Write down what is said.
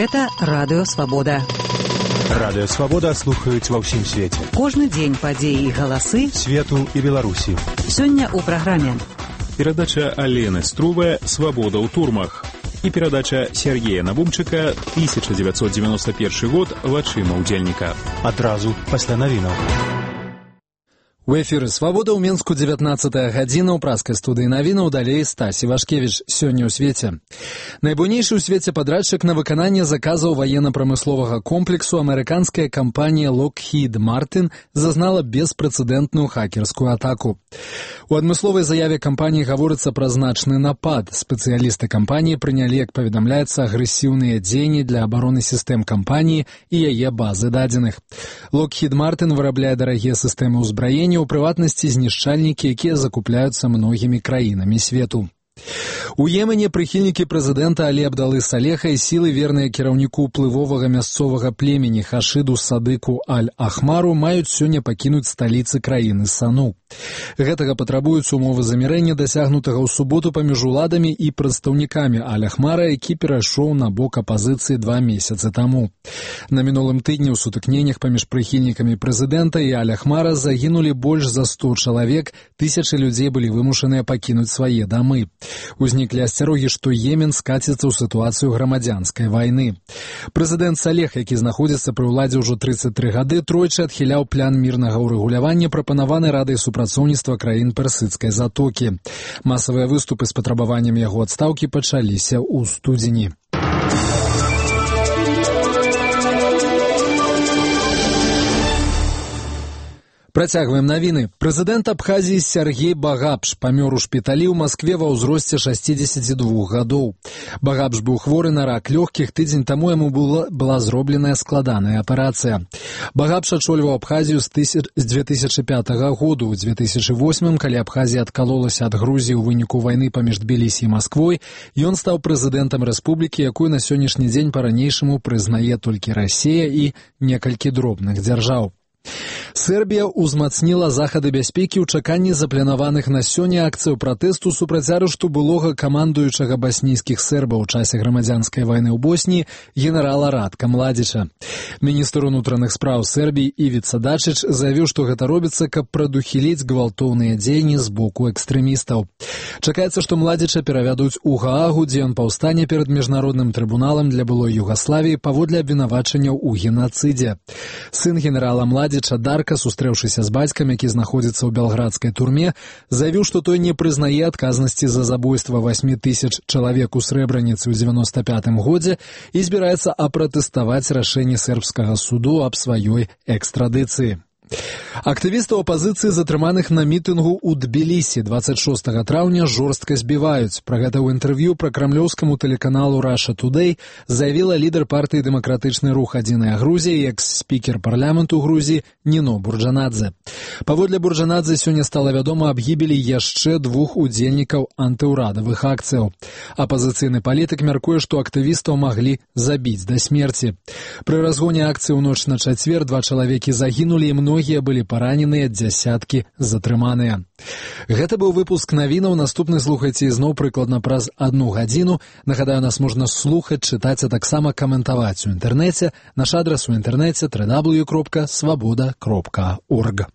Гэта Радыё Свабода. Радыё Свабода слухаюць ва ўсім свеце. Кожны дзень падзеі і галасы свету і Беларусі. Сёння ў праграме. Перадача Алены Струве «Свобода ў турмах» і перадача Сергея Набумчыка 1991 год «Вачыма ўдзельніка». Адразу пасля навінаў. У эфіры «Свобода» ў Менску 19 гадзіна, ў праскай студыі навінаў, далей Стасі Вашкевіч. Сёння ў свеце. Найбуйнейшы ў свеце падрадчык на выкананне заказаў ваенна-прамысловага комплексу амерыканская кампанія Lockheed Martin зазнала беспрэцэдэнтную хакерскую атаку. У адмысловай заяве кампаніі гаворыцца пра значны напад. Спецыялісты кампаніі прынялі, як паведамляецца, агрэсіўныя дзеянні для абароны сістэм кампаніі і яе базы дадзеных. Lockheed Martin вырабляе дарагія сістэмы ўзбраення, у прыватнасці знішчальнікі, якія закупляюцца многімі краінамі свету. У Йемене прыхільнікі прэзідэнта Алі Абдалы Салеха і сілы, верныя кіраўніку ўплывовага мясцовага племені Хашыду Садыку Аль-Ахмару, маюць сёння пакінуць сталіцы краіны Сану. Гэтага патрабуюць умовы замірэння, дасягнутага ў суботу паміж уладамі і прадстаўнікамі Аль-Ахмара, які перайшоў на бок апазіцыі 2 месяцы таму. На мінулым тыдні ў сутыкненнях паміж прыхільнікамі прэзідэнта і Аль-Ахмара загінулі больш за 100 чалавек, тысячы людзей былі вымушаныя пакінуць свае дамы. Узніклі асцярогі, што Йемен скаціцца ў сітуацыю грамадзянскай вайны. Прэзідэнт Салех, які знаходзіцца пры ўладзе ўжо 33 гады, тройчы адхіляў план мірнага ўрэгулявання, прапанаваны Радай супрацоўніцтва краін Персідскай затокі. Масавыя выступы з патрабаваннем яго адстаўкі пачаліся ў студзені. Працягваем навіны. Прэзідэнт Абхазіі Сергей Багапш памёр у шпіталі ў Маскве ва ўзросце 62 гадоў. Багапш быў хворы на рак лёгкіх, тыдзень таму яму была зробленая складаная аперацыя. Багапш ачольваў Абхазію з 2005 году. У 2008, калі Абхазія адкалолася ад Грузіі ў выніку вайны паміж Тбілісі і Масквой, ён стаў прэзідэнтам рэспублікі, якую на сённяшні дзень па-ранейшаму прызнае толькі Расія і некалькі дробных дзяржаў. Сербія ўзмацніла захады бяспекі ў чаканні запланаваных на сёння акцыяў пратэсту супраць арышту былога камандуючага баснійскіх сербаў у часе грамадзянскай вайны ў Босніі генерала Радка Младзіча. Міністр унутраных спраў Сербіі Івіца Дачыч заявіў, што гэта робіцца, каб прадухіліць гвалтоўныя дзеянні з боку экстрэмістаў. Чакаецца, што Младзіча перавядуць у Гаагу, дзе ён паўстане перад міжнародным трыбуналам для былой Югаславіі паводле абвінавачанняў у генацыдзе. Сын генерала Младзіча Дарка, сустрэўшыся з бацькам, які знаходзіцца ў белградскай турме, заявіў, што той не прызнае адказнасці за забойства 8000 чалавек у Срэбраніцы ў 95 годзе і збіраецца апратэставаць рашэнне сербскага суду аб сваёй экстрадыцыі. Актывістаў апазіцыі, затрыманых на мітынгу ў Тбілісі 26 траўня, жорстка збіваюць. Пра гэта ў інтэрв'ю пра крамлёўскаму тэлеканалу Russia Today заявіла лідар партыі «Дэмакратычны рух Адзіная Грузія» і экс-спікер парламенту Грузіі Ніно Бурджанадзе. Паводле Бурджанадзе сёння стала вядома аб гібелі яшчэ 2 удзельнікаў антыўрадавых акцыяў. Апазіцыйны палітык мяркуе, што актывістаў маглі забіць да смерці. Пры разгоне акцыі ў ноч на чацвер 2 чалавекі загінулі і многія былі параненыя, дзясяткі затрыманыя. Гэта быў выпуск навінаў. Наступны слухайце ізноў прыкладна праз 1 гадзіну. Нагадаю, нас можна слухаць, чытаць, а таксама каментаваць у інтэрнэце. Наш адрас у інтэрнэце www.svoboda.org.